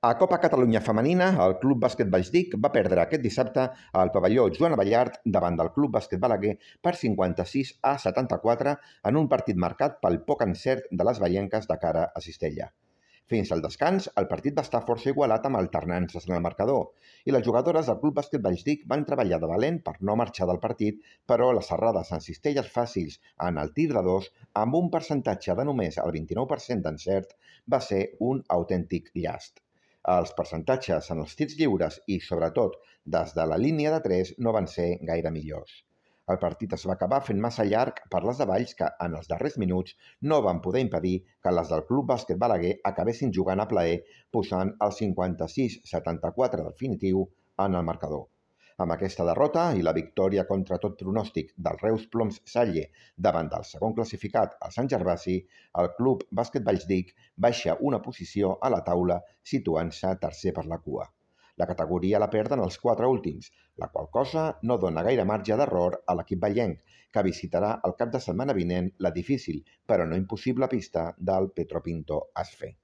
A Copa Catalunya Femenina, el Club Bàsquet Valldic va perdre aquest dissabte al pavelló Joan Abellart davant del Club Bàsquet Balaguer per 56-74 en un partit marcat pel poc encert de les veienques de cara a Cistella. Fins al descans, el partit va estar força igualat amb alternances en el marcador i les jugadores del Club Bàsquet Valldic van treballar de valent per no marxar del partit, però les errades en cistelles fàcils en el tir de dos, amb un percentatge de només el 29% d'encert, va ser un autèntic llast. Els percentatges en els tirs lliures i, sobretot, des de la línia de 3 no van ser gaire millors. El partit es va acabar fent massa llarg per les de Valls que, en els darrers minuts, no van poder impedir que les del Club Bàsquet Balaguer acabessin jugant a plaer, posant el 56-74 definitiu en el marcador. Amb aquesta derrota i la victòria contra tot pronòstic del Reus Ploms Salle davant del segon classificat, el Sant Gervasi, el Club Bàsquet Valldic baixa una posició a la taula situant-se tercer per la cua. La categoria la perden els 4 últims, la qual cosa no dona gaire marge d'error a l'equip vallenc, que visitarà el cap de setmana vinent la difícil però no impossible pista del Petropinto Asfe.